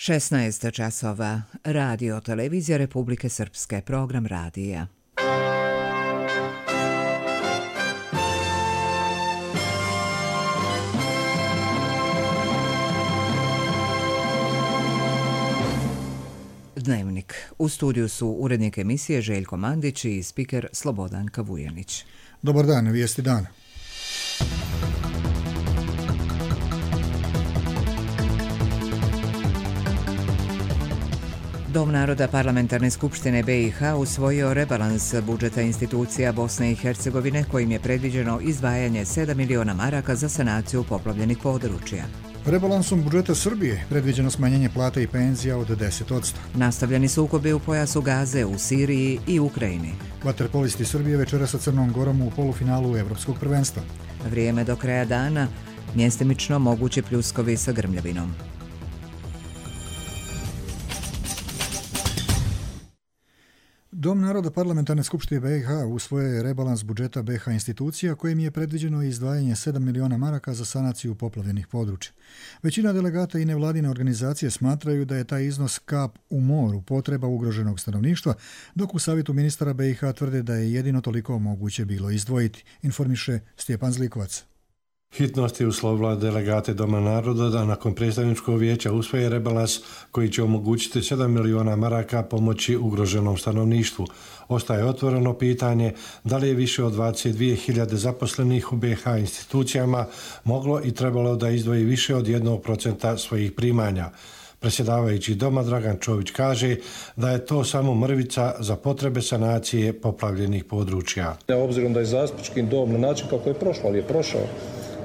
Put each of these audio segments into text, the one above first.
16 časova. Radio Televizija Republike Srpske. Program radija. Dnevnik. U studiju su urednik emisije Željko Mandić i spiker Slobodanka Vujanić. Dobar dan, vijesti dana. Dom naroda Parlamentarne skupštine BiH usvojio rebalans budžeta institucija Bosne i Hercegovine kojim je predviđeno izdvajanje 7 miliona maraka za sanaciju poplavljenih područja. Rebalansom budžeta Srbije predviđeno smanjenje plata i penzija od 10%. Nastavljeni sukobi u pojasu Gaze u Siriji i Ukrajini. Vaterpolisti Srbije večera sa Crnom Gorom u polufinalu Evropskog prvenstva. Vrijeme do kraja dana, mjestimično mogući pljuskovi sa grmljavinom. Dom naroda Parlamentarne skupštine BiH usvojio je rebalans budžeta BiH institucija kojim je predviđeno izdvajanje 7 miliona maraka za sanaciju poplavljenih područja. Većina delegata i nevladine organizacije smatraju da je taj iznos kap u moru potreba ugroženog stanovništva, dok u savjetu ministara BiH tvrde da je jedino toliko moguće bilo izdvojiti, informiše Stjepan Zlikovac. Hitnost je uslovila delegate Doma naroda da nakon predstavničkog vijeća usvoje rebalans koji će omogućiti 7 miliona maraka pomoći ugroženom stanovništvu. Ostaje otvoreno pitanje da li je više od 22.000 zaposlenih u BiH institucijama moglo i trebalo da izdvoji više od 1% svojih primanja. Predsjedavajući Doma Dragan Čović kaže da je to samo mrvica za potrebe sanacije poplavljenih područja. Obzirom da je zastupnički dom na način kako je prošlo, ali je prošao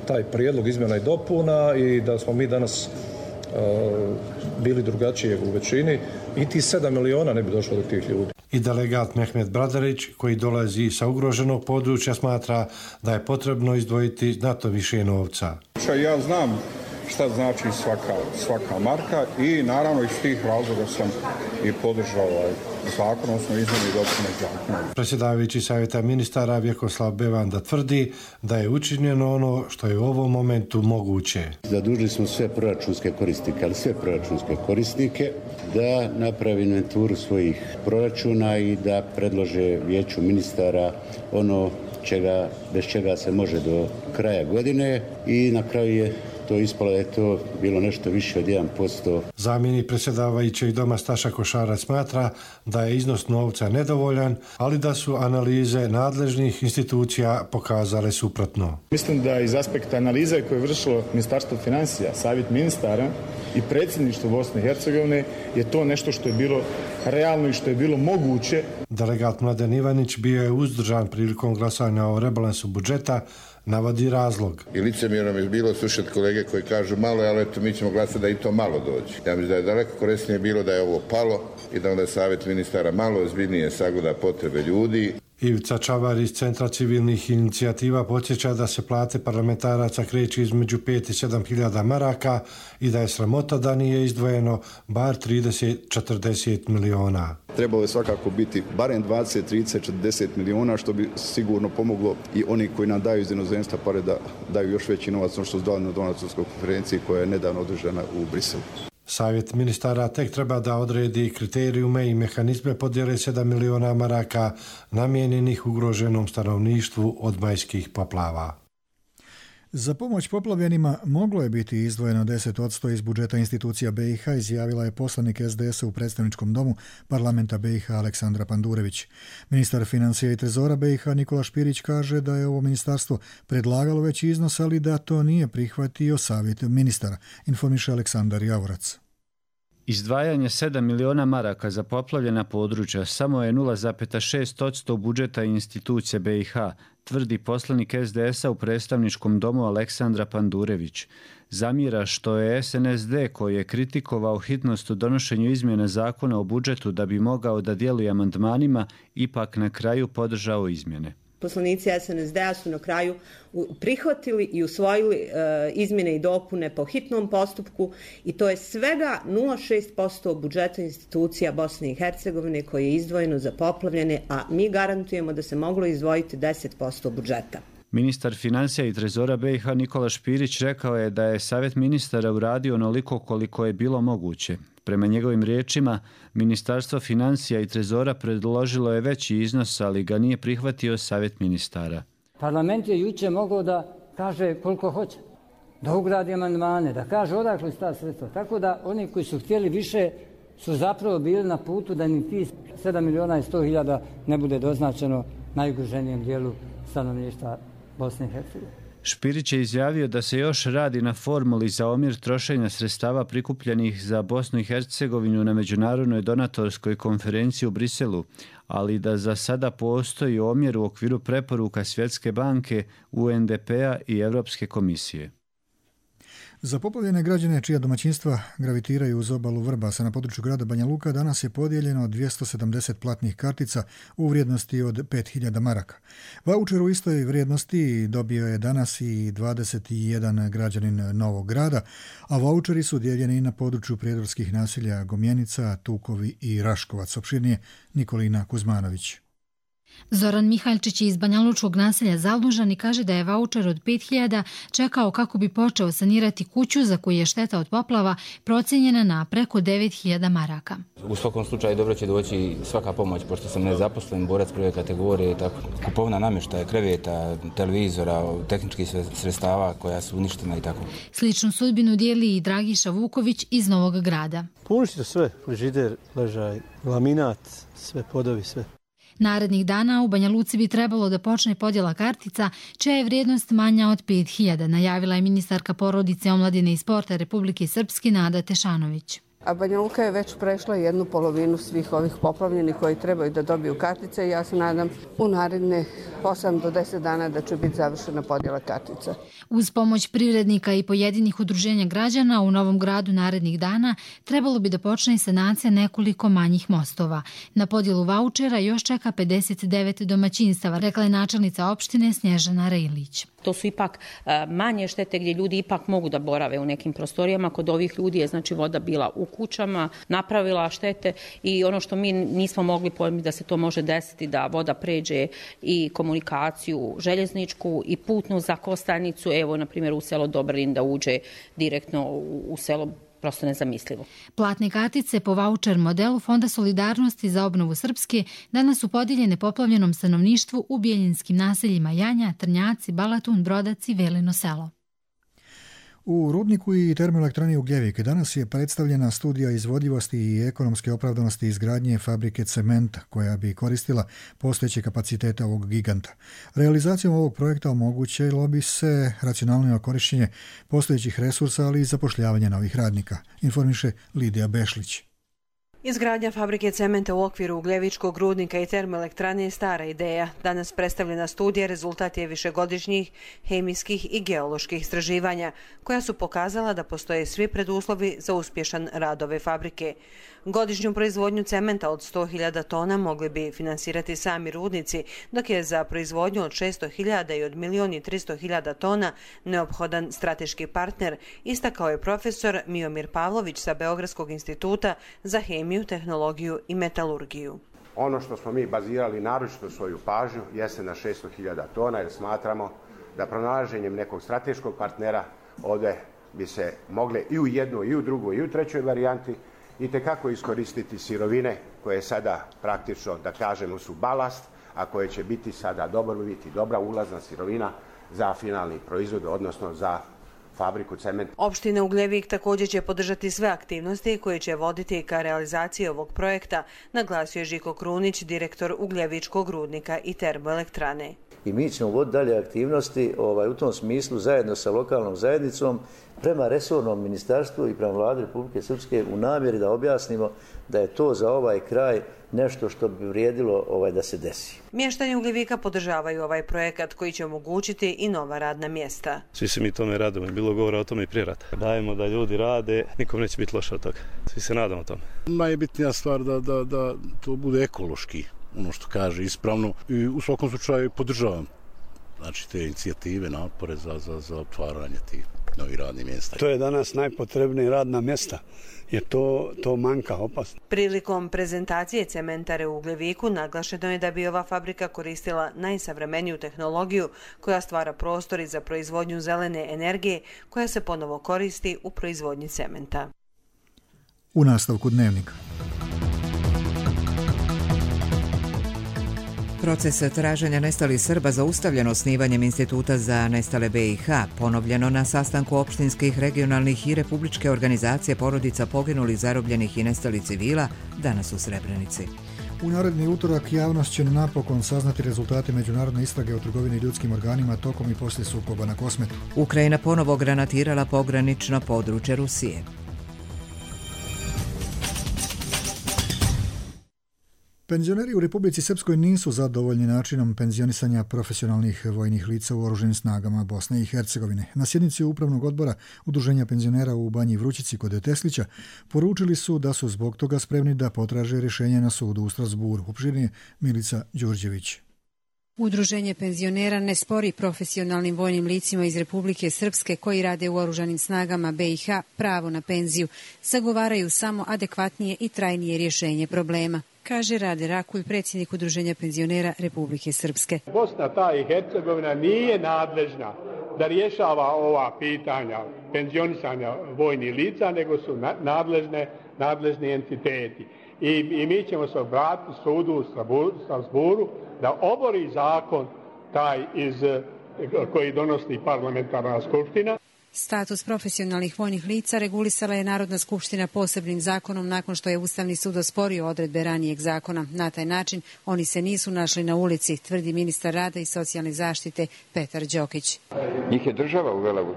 taj prijedlog izmjena i dopuna i da smo mi danas bili drugačije u većini i ti 7 miliona ne bi došlo do tih ljudi. I delegat Mehmet Bradarić, koji dolazi sa ugroženog područja, smatra da je potrebno izdvojiti znatno više novca. Ja znam šta znači svaka marka i naravno iz tih razloga sam i podržao zakon, odnosno izmjene i dopune zakona. Predsjedavajući savjeta ministara Vjekoslav Bevanda tvrdi da je učinjeno ono što je u ovom momentu moguće. Zadužili smo sve proračunske korisnike, ali sve proračunske korisnike da napravi inventuru svojih proračuna i da predlože vijeću ministara ono bez čega se može do kraja godine i na kraju je to ispalo da je to bilo nešto više od 1%. Zamjenik predsjedavajućeg Doma Staša Košarac smatra da je iznos novca nedovoljan, ali da su analize nadležnih institucija pokazale suprotno. Mislim da iz aspekta analize koje je vršilo Ministarstvo financija, savjet ministara i predsjedništvo Bosne i Hercegovine je to nešto što je bilo realno i što je bilo moguće. Delegat Mladen Ivanić bio je uzdržan prilikom glasanja o rebalansu budžeta, navodi razlog. I licemjerno je bilo slušati kolege koji kažu malo, ali eto mi ćemo glasati da i to malo dođe. Ja mislim da je daleko korisnije bilo da je ovo palo i da onda savjet ministara malo ozbiljnije sagleda potrebe ljudi. Ivica Čavar iz Centra civilnih inicijativa podsjeća da se plate parlamentaraca kreću između 5 i 7 hiljada maraka i da je sramota da nije izdvojeno bar 30-40 miliona. Trebalo je svakako biti barem 20, 30, 40 miliona što bi sigurno pomoglo i oni koji nam daju iz inozemstva pare da daju još veći novac no što su dali na donatorskoj konferenciji koja je nedavno održana u Briselu. Savjet ministara tek treba da odredi kriterijume i mehanizme podjele 7 miliona maraka namijenjenih ugroženom stanovništvu od majskih poplava. Za pomoć poplavljenima moglo je biti izdvojeno 10% iz budžeta institucija BiH, izjavila je poslanik SDS-a u predstavničkom domu parlamenta BiH Aleksandra Pandurević. Ministar financija i trezora BiH Nikola Špirić kaže da je ovo ministarstvo predlagalo veći iznos, ali da to nije prihvatio savjet ministara, informiše Aleksandar Javorac. Izdvajanje 7 miliona maraka za poplavljena područja samo je 0,6% budžeta institucije BiH, tvrdi poslanik SDS-a u predstavničkom domu Aleksandra Pandurević. Zamjera što je SNSD, koji je kritikovao hitnost u donošenju izmjene zakona o budžetu da bi mogao da djeluje amandmanima, ipak na kraju podržao izmjene. Poslanici SNSD-a su na kraju prihvatili i usvojili izmjene i dopune po hitnom postupku i to je svega 0,6% budžeta institucija Bosne i Hercegovine koje je izdvojeno za poplavljene, a mi garantujemo da se moglo izdvojiti 10% budžeta. Ministar financija i trezora BiH Nikola Špirić rekao je da je Savjet ministara uradio onoliko koliko je bilo moguće. Prema njegovim riječima, Ministarstvo financija i trezora predložilo je veći iznos, ali ga nije prihvatio Savjet ministara. Parlament je jučer mogao da kaže koliko hoće, da ugradi amandmane, da kaže odakle su ta sredstva. Tako da oni koji su htjeli više su zapravo bili na putu da ni ti 7.100.000 ne bude doznačeno najugroženijem dijelu stanovništva Bosne i Hercegovine. Špirić je izjavio da se još radi na formuli za omjer trošenja sredstava prikupljenih za Bosnu i Hercegovinu na međunarodnoj donatorskoj konferenciji u Briselu, ali da za sada postoji omjer u okviru preporuka Svjetske banke, UNDP-a i Europske komisije. Za poplavljene građane čija domaćinstva gravitiraju uz obalu Vrbasa na području grada Banja Luka danas je podijeljeno 270 platnih kartica u vrijednosti od 5.000 maraka. Vaučer u istoj vrijednosti dobio je danas i 21 građanin Novog Grada, a vaučeri su dijeljeni na području prijedorskih naselja Gomjenica, Tukovi i Raškovac. Opširnije Nikolina Kuzmanović. Zoran Mihaljčić iz Banjalučkog naselja Zaldužan i kaže da je vaučer od 5.000 čekao kako bi počeo sanirati kuću za koju je šteta od poplava procijenjena na preko 9.000 maraka. U svakom slučaju dobro će doći svaka pomoć, pošto sam nezaposlen, borac prve kategorije, tako kupovna namještaja, kreveta, televizora, tehničkih sredstava koja su uništena i tako. Sličnu sudbinu dijeli i Dragiša Vuković iz Novog Grada. Punište sve, frižider, ležaj, laminat, sve podovi, sve. Narednih dana u Banja Luci bi trebalo da počne podjela kartica, čija je vrijednost manja od 5.000, najavila je ministarka porodice, omladine i sporta Republike Srpske Nada Tešanović. A Banja Luka je već prešla 1/2 svih ovih poplavljenih koji trebaju da dobiju kartice i ja se nadam u naredne 8 do 10 dana da će biti završena podjela kartica. Uz pomoć privrednika i pojedinih udruženja građana u Novom Gradu narednih dana trebalo bi da počne sanacija nekoliko manjih mostova. Na podjelu vaučera još čeka 59 domaćinstava, rekla je načelnica opštine Snježana Rejlić. To su ipak manje štete gdje ljudi ipak mogu da borave u nekim prostorijama. Kod ovih ljudi je znači voda bila u kućama, napravila štete i ono što mi nismo mogli pojmiti da se to može desiti, da voda pređe i komunikaciju željezničku i putnu za Kostajnicu, evo na primjer u selo Dobrin da uđe direktno u selo, prosto nezamislivo. Platne kartice po vaučer modelu Fonda solidarnosti za obnovu Srpske danas su podijeljene poplavljenom stanovništvu u bijeljinskim naseljima Janja, Trnjaci, Balatun, Brodac i Velino selo. U Rudniku i termoelektrani Ugljevik danas je predstavljena studija izvodljivosti i ekonomske opravdanosti izgradnje fabrike cementa koja bi koristila postojeće kapacitete ovog giganta. Realizacijom ovog projekta omogućilo bi se racionalno korištenje postojećih resursa, ali i zapošljavanje novih radnika, informiše Lidija Bešlić. Izgradnja fabrike cementa u okviru Ugljevičkog rudnika i termoelektrane je stara ideja. Danas predstavljena studija rezultat je višegodišnjih hemijskih i geoloških istraživanja, koja su pokazala da postoje svi preduslovi za uspješan rad ove fabrike. Godišnju proizvodnju cementa od 100.000 tona mogli bi finansirati sami rudnici, dok je za proizvodnju od 600.000 i od 1.300.000 tona neophodan strateški partner, istakao je profesor Miomir Pavlović sa Beogradskog instituta za hemiju, tehnologiju i metalurgiju. Ono što smo mi bazirali naročito svoju pažnju jeste na 600.000 tona jer smatramo da pronalaženjem nekog strateškog partnera ovdje bi se mogle i u jednoj, i u drugoj, i u trećoj varijanti i tekako iskoristiti sirovine koje sada praktično, da kažemo, su balast, a koje će biti sada dobra ulazna sirovina za finalni proizvod, odnosno za fabriku cementa. Opština Ugljevik također će podržati sve aktivnosti koje će voditi ka realizaciji ovog projekta, naglasio je Žiko Krunić, direktor Ugljevičkog rudnika i termoelektrane. I mi ćemo voditi dalje aktivnosti u tom smislu zajedno sa lokalnom zajednicom prema resornom ministarstvu i prema vladi Republike Srpske u namjeri da objasnimo da je to za ovaj kraj nešto što bi vrijedilo da se desi. Mještani Ugljevika podržavaju ovaj projekat koji će omogućiti i nova radna mjesta. Svi se mi tome radimo, bilo govora o tome i prije rata. Dajemo da ljudi rade, nikom neće biti loše od toga. Svi se nadamo tome. Najbitnija stvar da to bude ekološki, ono što kaže, ispravno i u svakom slučaju podržavam te inicijative, napore za otvaranje tih novih radnih mjesta. To je danas najpotrebnije radna mjesta, jer to manjka opasno. Prilikom prezentacije cementare u Ugljeviku naglašeno je da bi ova fabrika koristila najsavremeniju tehnologiju koja stvara prostori za proizvodnju zelene energije koja se ponovo koristi u proizvodnji cementa. U nastavku dnevnika. Proces traženja nestalih Srba zaustavljen osnivanjem Instituta za nestale BiH, ponovljeno na sastanku opštinskih, regionalnih i republičke organizacije porodica poginulih, zarobljenih i nestalih civila danas u Srebrenici. U naredni utorak javnost će napokon saznati rezultate međunarodne istrage o trgovini ljudskim organima tokom i poslije sukoba na Kosmetu. Ukrajina ponovo granatirala pogranično područje Rusije. Penzioneri u Republici Srpskoj nisu zadovoljni načinom penzionisanja profesionalnih vojnih lica u oružanim snagama Bosne i Hercegovine. Na sjednici Upravnog odbora Udruženja penzionera u Banji Vrućici kod Teslića poručili su da su zbog toga spremni da potraže rješenje na sudu u Strasburu. Opširnije Milica Đurđević. Udruženje penzionera ne spori profesionalnim vojnim licima iz Republike Srpske koji rade u oružanim snagama BiH pravo na penziju. Zagovaraju samo adekvatnije i trajnije rješenje problema, kaže Rade Rakulj, predsjednik Udruženja penzionera Republike Srpske. Bosna i Hercegovina nije nadležna da rješava ova pitanja penzionisanja vojnih lica, nego su nadležni entiteti. I mi ćemo se obratiti sudu u Strasburu da obori zakon taj koji donosi parlamentarna skupština. Status profesionalnih vojnih lica regulisala je Narodna skupština posebnim zakonom nakon što je Ustavni sud osporio odredbe ranijeg zakona. Na taj način oni se nisu našli na ulici, tvrdi ministar rada i socijalne zaštite Petar Đokić. Njih je država uvela u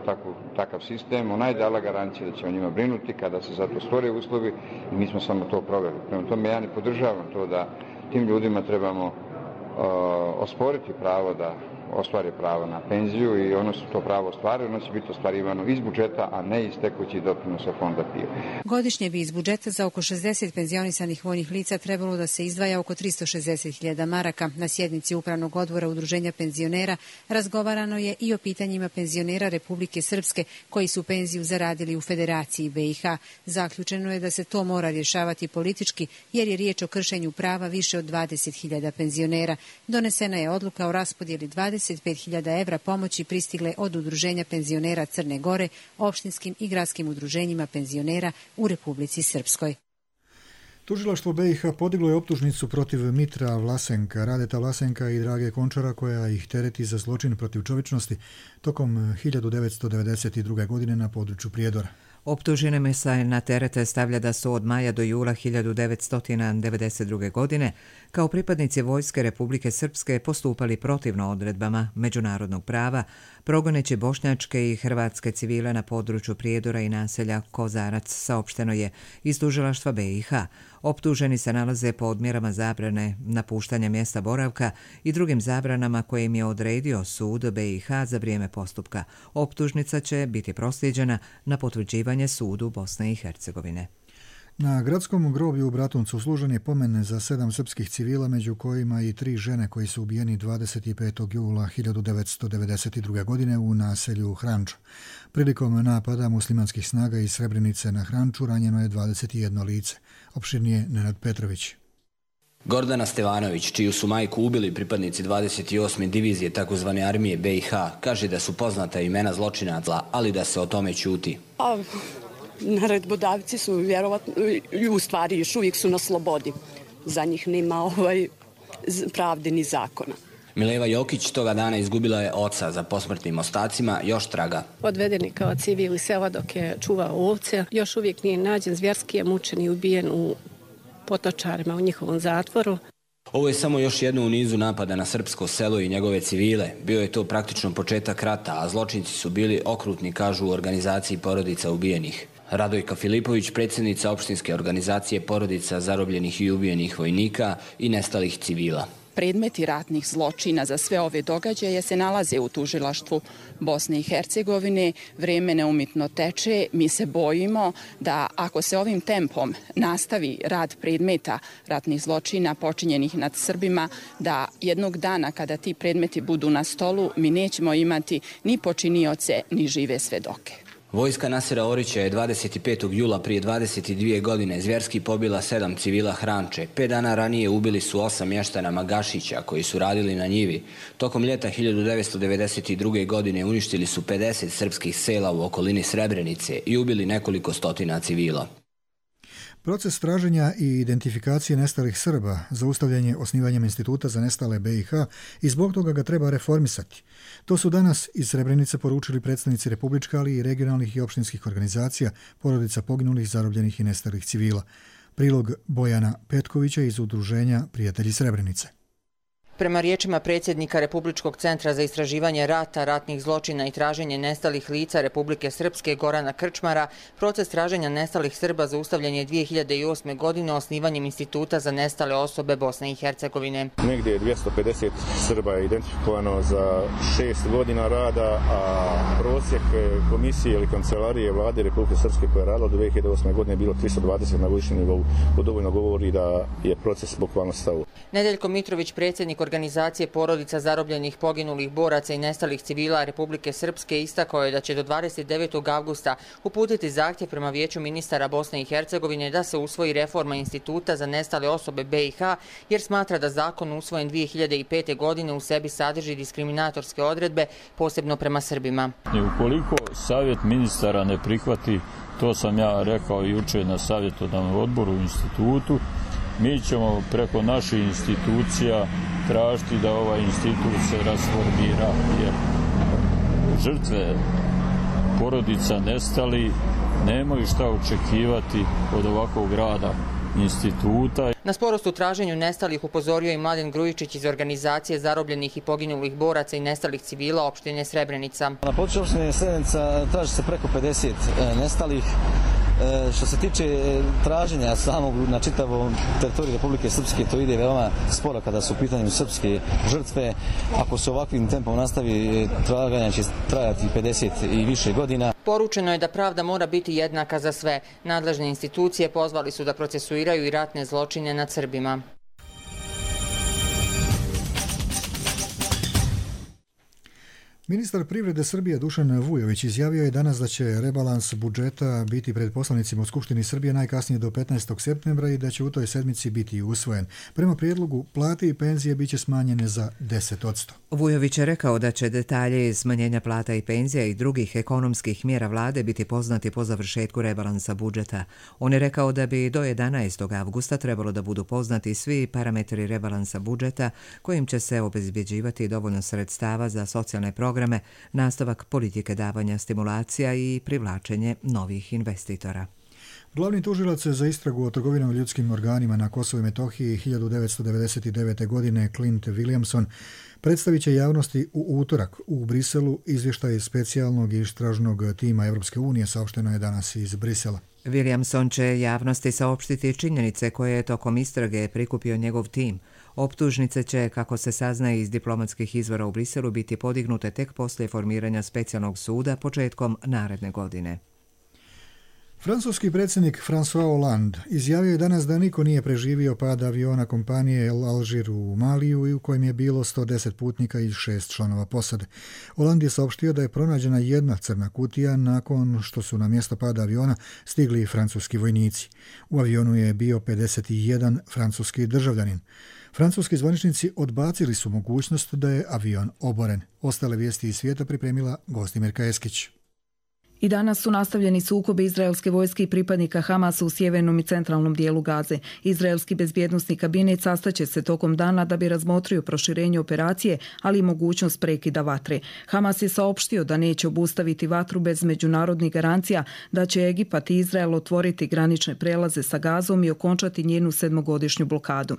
takav sistem, ona je dala garanciju da će o njima brinuti kada se za to stvore uslovi i mi smo samo to proveli. Prema tome ja ne podržavam to da tim ljudima trebamo osporiti pravo da ostvare pravo na penziju i ono su to pravo ostvarili, ono će biti ostvarivano iz budžeta, a ne iz tekućih doprinosa fonda PIO. Godišnje bi iz budžeta za oko 60 penzionisanih vojnih lica trebalo da se izdvaja oko 360.000 maraka. Na sjednici Upravnog odbora Udruženja penzionera razgovarano je i o pitanjima penzionera Republike Srpske koji su penziju zaradili u Federaciji BiH. Zaključeno je da se to mora rješavati politički jer je riječ o kršenju prava više od 20.000 penzionera. Donesena je odluka o raspodjeli 25.000 evra pomoći pristigle od Udruženja penzionera Crne Gore, opštinskim i gradskim udruženjima penzionera u Republici Srpskoj. Tužilaštvo BiH podiglo je optužnicu protiv Mitra Vlasenka, Radeta Vlasenka i Drage Končara koja ih tereti za zločin protiv čovječnosti tokom 1992. godine na području Prijedora. Optuženima se na terete stavlja da su od maja do jula 1992. godine kao pripadnici Vojske Republike Srpske postupali protivno odredbama međunarodnog prava, progoneći bošnjačke i hrvatske civile na području Prijedora i naselja Kozarac, saopšteno je iz tužilaštva BiH. Optuženi se nalaze pod mjerama zabrane napuštanja mjesta boravka i drugim zabranama koje im je odredio sud BiH za vrijeme postupka. Optužnica će biti proslijeđena na potvrđivanje sudu Bosne i Hercegovine. Na gradskom groblju u Bratuncu služen je pomen za 7 srpskih civila, među kojima i 3 žene koji su ubijeni 25. jula 1992. godine u naselju Hranča. Prilikom napada muslimanskih snaga iz Srebrenice na Hranču ranjeno je 21 lice. Opširnije Nenad Petrović. Gordana Stevanović, čiju su majku ubili pripadnici 28. divizije tzv. armije BiH, kaže da su poznata imena zločinaca, ali da se o tome ćuti. Naredbodavci su vjerovatno, u stvari još uvijek su na slobodi. Za njih nema pravde ni zakona. Mileva Jokić toga dana izgubila je oca, za posmrtnim ostacima još traga. Odvedeni kao civil iz sela dok je čuvao ovce, još uvijek nije nađen, zvjerski je mučen i ubijen u Potočarima u njihovom zatvoru. Ovo je samo još jedno u nizu napada na srpsko selo i njegove civile. Bio je to praktično početak rata, a zločinci su bili okrutni, kažu u organizaciji porodica ubijenih. Radojka Filipović, predsjednica opštinske organizacije porodica zarobljenih i ubijenih vojnika i nestalih civila. Predmeti ratnih zločina za sve ove događaje se nalaze u tužilaštvu Bosne i Hercegovine. Vrijeme neumitno teče. Mi se bojimo da ako se ovim tempom nastavi rad predmeta ratnih zločina počinjenih nad Srbima, da jednog dana kada ti predmeti budu na stolu, mi nećemo imati ni počinioce ni žive svedoke. Vojska Nasera Orića je 25. jula prije 22 godine zvjerski pobila 7 civila Hranče. 5 dana ranije ubili su 8 mještana Magašića koji su radili na njivi. Tokom ljeta 1992. godine uništili su 50 srpskih sela u okolini Srebrenice i ubili nekoliko stotina civila. Proces traženja i identifikacije nestalih Srba zaustavljen je osnivanjem Instituta za nestale BiH i zbog toga ga treba reformisati. To su danas iz Srebrenice poručili predstavnici republičkih, ali i regionalnih i opštinskih organizacija porodica poginulih, zarobljenih i nestalih civila. Prilog Bojana Petkovića iz udruženja Prijatelji Srebrenice. Prema riječima predsjednika Republičkog centra za istraživanje rata, ratnih zločina i traženje nestalih lica Republike Srpske Gorana Krčmara, proces traženja nestalih Srba zaustavljen je 2008. godine osnivanjem Instituta za nestale osobe Bosne i Hercegovine. Negdje je 250 Srba je identifikovano za 6 godina rada, a prosjek komisije ili kancelarije vlade Republike Srpske koja je radila do 2008. godine je bilo 320 na godišnjem nivou. To dovoljno govori da je proces bukvalno stao. Nedeljko Mitrović, predsjednik organizacije porodica zarobljenih, poginulih boraca i nestalih civila Republike Srpske, istakao je da će do 29. avgusta uputiti zahtjev prema Vijeću ministara Bosne i Hercegovine da se usvoji reforma Instituta za nestale osobe BiH, jer smatra da zakon usvojen 2005. godine u sebi sadrži diskriminatorske odredbe, posebno prema Srbima. I ukoliko Savjet ministara ne prihvati, to sam ja rekao jučer na savjetodavnom odboru u institutu, mi ćemo preko naših institucija tražiti da ovaj institut se rasformira, jer žrtve porodica nestali nemaju šta očekivati od ovakvog rada instituta. Na sporost u traženju nestalih upozorio i Mladen Grujičić iz organizacije zarobljenih i poginulih boraca i nestalih civila opštine Srebrenica. Na području opštine Srebrenica traži se preko 50 nestalih. Što se tiče traženja samog na čitavom teritoriju Republike Srpske, to ide veoma sporo kada su u pitanju srpske žrtve. Ako se ovakvim tempom nastavi, traganja će trajati 50 i više godina. Poručeno je da pravda mora biti jednaka za sve. Nadležne institucije pozvali su da procesuiraju i ratne zločine nad Srbima. Ministar privrede Srbije Dušan Vujović izjavio je danas da će rebalans budžeta biti pred poslanicima u Skupštini Srbije najkasnije do 15. septembra i da će u toj sedmici biti usvojen. Prema prijedlogu, plate i penzije biće smanjene za 10%. Vujović je rekao da će detalje smanjenja plata i penzija i drugih ekonomskih mjera vlade biti poznati po završetku rebalansa budžeta. On je rekao da bi do 11. avgusta trebalo da budu poznati svi parametri rebalansa budžeta kojim će se obezbjeđivati dovoljno sredstava za socijalne programe, nastavak politike davanja stimulacija i privlačenje novih investitora. Glavni tužilac za istragu o trgovinom ljudskim organima na Kosovu i Metohiji 1999. godine Clint Williamson predstavit će javnosti u utorak u Briselu izvještaj specijalnog istražnog tima Evropske unije, saopšteno je danas iz Brisela. Williamson će javnosti saopštiti činjenice koje je tokom istrage prikupio njegov tim. Optužnice će, kako se saznaje iz diplomatskih izvora u Briselu, biti podignute tek poslije formiranja specijalnog suda početkom naredne godine. Francuski predsjednik François Hollande izjavio je danas da niko nije preživio pad aviona kompanije El Alžir u Maliju i u kojem je bilo 110 putnika i 6 članova posade. Hollande je saopštio da je pronađena jedna crna kutija nakon što su na mjesto pada aviona stigli francuski vojnici. U avionu je bio 51 francuski državljanin. Francuski zvaničnici odbacili su mogućnost da je avion oboren. Ostale vijesti iz svijeta pripremila Gostimirka Eskić. I danas su nastavljeni sukobi izraelske vojske i pripadnika Hamasa u sjevernom i centralnom dijelu Gaze. Izraelski bezbjednosni kabinet sastaće se tokom dana da bi razmotrio proširenje operacije, ali i mogućnost prekida vatre. Hamas je saopštio da neće obustaviti vatru bez međunarodnih garancija, da će Egipat i Izrael otvoriti granične prelaze sa Gazom i okončati njenu 7-godišnju blokadu.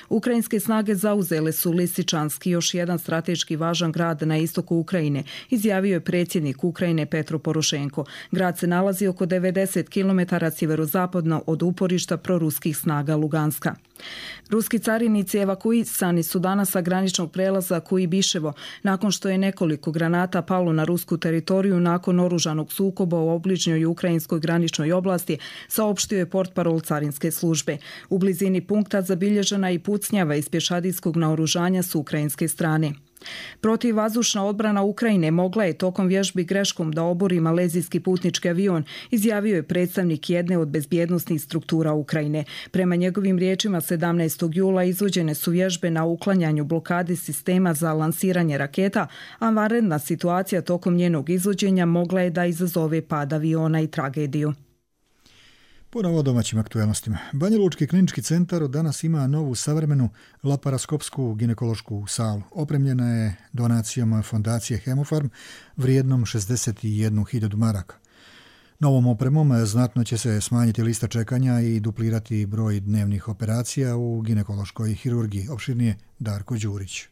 Ukrajinske snage zauzele su Lisičanski, još jedan strateški važan grad na istoku Ukrajine, izjavio je predsjednik Ukrajine Petro Porošenko. Grad se nalazi oko 90 km sjeverozapadno od uporišta proruskih snaga Luganska. Ruski carinici evakuisani su danas sa graničnog prelaza Kuibiševo nakon što je nekoliko granata palo na rusku teritoriju nakon oružanog sukoba u obližnjoj ukrajinskoj graničnoj oblasti, saopštio je portparol carinske službe. U blizini punkta zabilježena i pucnjava iz pješadijskog naoružanja s ukrajinske strane. Protivvazdušna odbrana Ukrajine mogla je tokom vježbi greškom da obori malezijski putnički avion, izjavio je predstavnik jedne od bezbjednosnih struktura Ukrajine. Prema njegovim riječima 17. jula izvođene su vježbe na uklanjanju blokade sistema za lansiranje raketa, a vanredna situacija tokom njenog izvođenja mogla je da izazove pad aviona i tragediju. Ponovo o domaćim aktualnostima. Banjalučki klinički centar od danas ima novu savremenu laparoskopsku ginekološku salu. Opremljena je donacijama fondacije Hemofarm vrijednom 61.000 maraka. Novom opremom znatno će se smanjiti lista čekanja i duplirati broj dnevnih operacija u ginekološkoj hirurgiji. Opširnije Darko Đurić.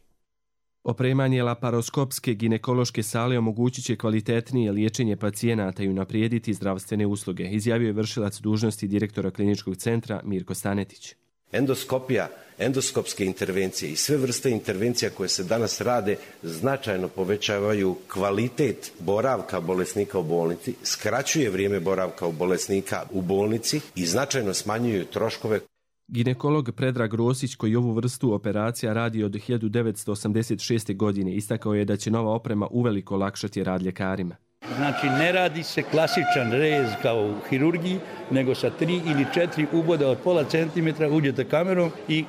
Opremanje laparoskopske ginekološke sale omogućit će kvalitetnije liječenje pacijenata i unaprijediti zdravstvene usluge, izjavio je vršilac dužnosti direktora kliničkog centra Mirko Stanetić. Endoskopija, endoskopske intervencije i sve vrste intervencija koje se danas rade značajno povećavaju kvalitet boravka bolesnika u bolnici, skraćuje vrijeme boravka bolesnika u bolnici i značajno smanjuju troškove. Ginekolog Predrag Rosić, koji ovu vrstu operacija radi od 1986. godine, istakao je da će nova oprema uveliko olakšati rad ljekarima. Znači, ne radi se klasičan rez kao u hirurgiji, nego sa 3 ili 4 uboda od pola centimetra uđete kamerom i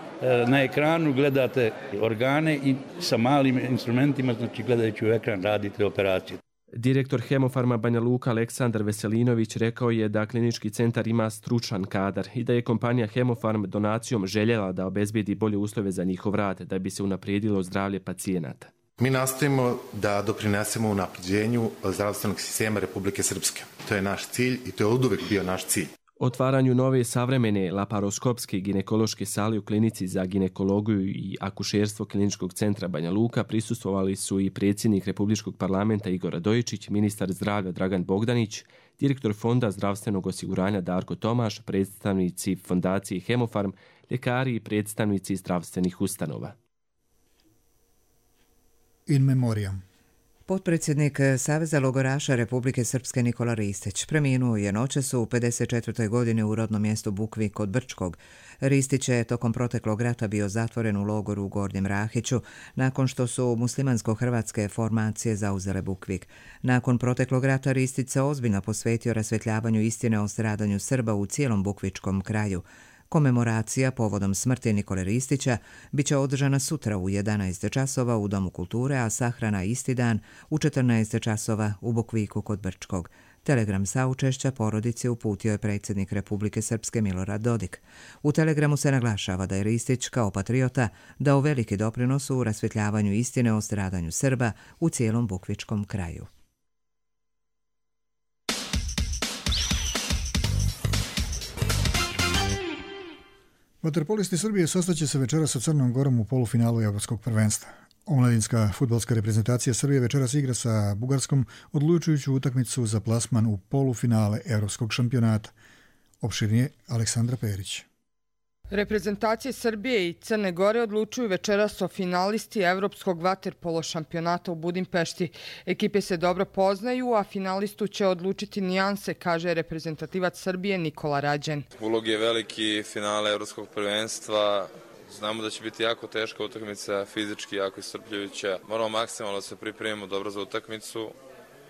na ekranu gledate organe i sa malim instrumentima, znači gledajući u ekran radite operaciju. Direktor Hemofarma Banja Luka Aleksandar Veselinović rekao je da klinički centar ima stručan kadar i da je kompanija Hemofarm donacijom željela da obezbedi bolje uslove za njihov rad da bi se unaprijedilo zdravlje pacijenata. Mi nastojimo da doprinesemo unapređenju zdravstvenog sistema Republike Srpske. To je naš cilj i to je oduvek bio naš cilj. Otvaranju nove savremene laparoskopske ginekološke sale u klinici za ginekologiju i akušerstvo kliničkog centra Banja Luka prisustvovali su i predsjednik Republičkog parlamenta Igor Radojičić, ministar zdravlja Dragan Bogdanić, direktor Fonda zdravstvenog osiguranja Darko Tomaš, predstavnici fondacije Hemofarm, ljekari i predstavnici zdravstvenih ustanova. In memoriam. Potpredsjednik Saveza logoraša Republike Srpske Nikola Ristić preminuo je noćas u 54. godini u rodnom mjestu Bukvik kod Brčkog. Ristić je tokom proteklog rata bio zatvoren u logoru u Gornjem Rahiću nakon što su muslimansko-hrvatske formacije zauzele Bukvik. Nakon proteklog rata Ristić se ozbiljno posvetio rasvjetljavanju istine o stradanju Srba u cijelom bukvičkom kraju. Komemoracija povodom smrti Nikole Ristića biće održana sutra u 11 časova u Domu kulture, a sahrana isti dan u 14 časova u Bukviku kod Brčkog. Telegram saučešća porodici uputio je predsjednik Republike Srpske Milorad Dodik. U telegramu se naglašava da je Ristić kao patriota dao veliki doprinos u rasvjetljavanju istine o stradanju Srba u cijelom bukvičkom kraju. Vaterpolisti Srbije sastaće se večeras sa Crnom Gorom u polufinalu Evropskog prvenstva. Omladinska fudbalska reprezentacija Srbije večeras igra sa Bugarskom odlučujuću utakmicu za plasman u polufinale Evropskog šampionata. Opširnije Aleksandra Perić. Reprezentacije Srbije i Crne Gore odlučuju večeras o finalisti Evropskog vaterpolo šampionata u Budimpešti. Ekipe se dobro poznaju, a finalistu će odlučiti nijanse, kaže reprezentativac Srbije Nikola Rađen. Ulog je veliki, finale Evropskog prvenstva. Znamo da će biti jako teška utakmica, fizički jako iscrpljujuća. Moramo maksimalno da se pripremimo dobro za utakmicu.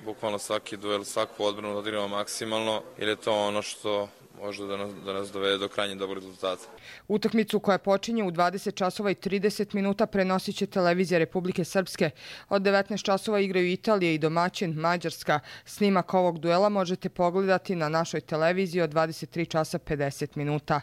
Bukvalno svaki duel, svaku odbranu da odigramo maksimalno, jer je to ono što može da nas dovede do krajnje dobrog rezultata. Utakmicu koja počinje u 20 časova i 30 minuta prenosit će televizija Republike Srpske. Od 19 časova igraju Italija i domaćin Mađarska. Snimak ovog duela možete pogledati na našoj televiziji od 23 časa 50 minuta.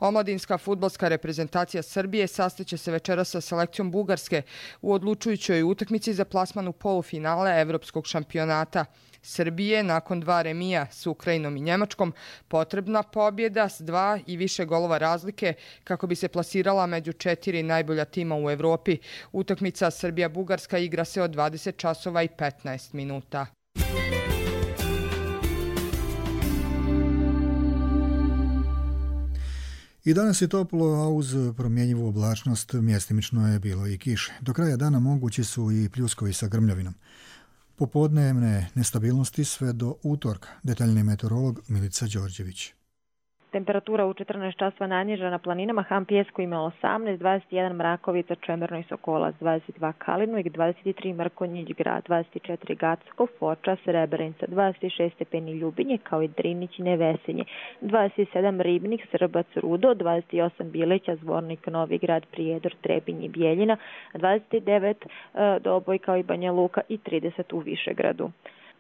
Omladinska fudbalska reprezentacija Srbije sastaće se večeras sa selekcijom Bugarske u odlučujućoj utakmici za plasman u polufinale Evropskog šampionata. Srbije nakon 2 remija s Ukrajinom i Njemačkom potrebna pobjeda s 2 i više golova razlike kako bi se plasirala među 4 najbolja tima u Evropi. Utakmica Srbija-Bugarska igra se od 20 časova i 15 minuta. I danas je toplo, a uz promjenjivu oblačnost mjestimično je bilo i kiše. Do kraja dana mogući su i pljuskovi sa grmljavinom. Popodnevne nestabilnosti sve do utorka, detaljni meteorolog Milica Đorđević. Temperatura u 14 časova najniža na planinama, Ham Pijesko imao 18, 21 Mrakovica, Čemerno i Sokolac, 22 Kalinujg, 23 Mrkonjić grad, 24 Gacko, Foča, Srebrenica, 26 stepeni Ljubinje, kao i Drinić i Nevesinje, 27 Ribnik, Srbac, Rudo, 28 Bileća, Zvornik, Novi grad, Prijedor, Trebinj i Bijeljina, 29 Doboj kao i Banja Luka i 30 u Višegradu.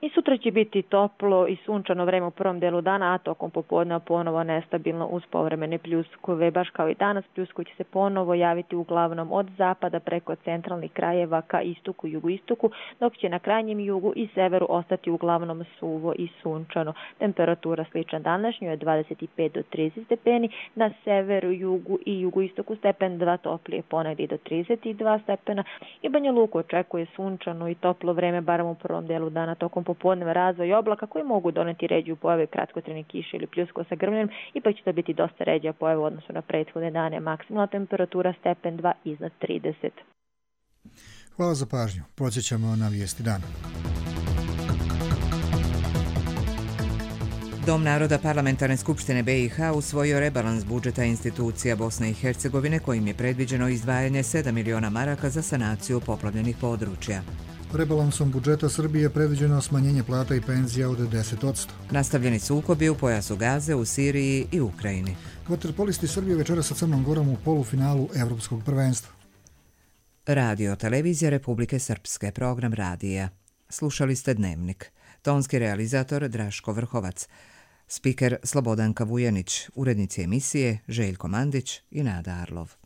I sutra će biti toplo i sunčano vreme u prvom delu dana, a tokom popodneva ponovo nestabilno uz povremene pljuskove. Baš kao i danas, pljuskovi će se ponovo javiti uglavnom od zapada preko centralnih krajeva ka istoku i jugoistoku, dok će na krajnjem jugu i severu ostati uglavnom suvo i sunčano. Temperatura slična današnjoj je 25 do 30 stepeni, na severu, jugu i jugoistoku stepen 2 toplije, ponegdje do 32 stepena i Banja Luku očekuje sunčano i toplo vreme, barem u prvom delu dana. Tokom popodneva razvoj oblaka koji mogu doneti ređu pojave kratkotrajne kiše ili pljuskova sa grmljem, ipak će to biti dosta ređa pojave u odnosu na prethodne dane. Maksimalna temperatura stepen 2 iznad 30. Hvala za pažnju. Podsjećamo na vijesti dana. Dom naroda Parlamentarne skupštine BiH usvojio rebalans budžeta institucija Bosne i Hercegovine kojim je predviđeno izdvajanje 7 miliona maraka za sanaciju poplavljenih područja. Rebalansom budžeta Srbije predviđeno smanjenje plata i penzija od 10%. Nastavljeni sukobi u pojasu Gaze, u Siriji i Ukrajini. Vaterpolisti Srbije večeras sa Crnom Gorom u polufinalu Evropskog prvenstva. Radio televizija Republike Srpske, program radija. Slušali ste Dnevnik. Tonski realizator Draško Vrhovac. Spiker Slobodanka Vujanić. Urednici emisije Željko Mandić i Nada Arlov.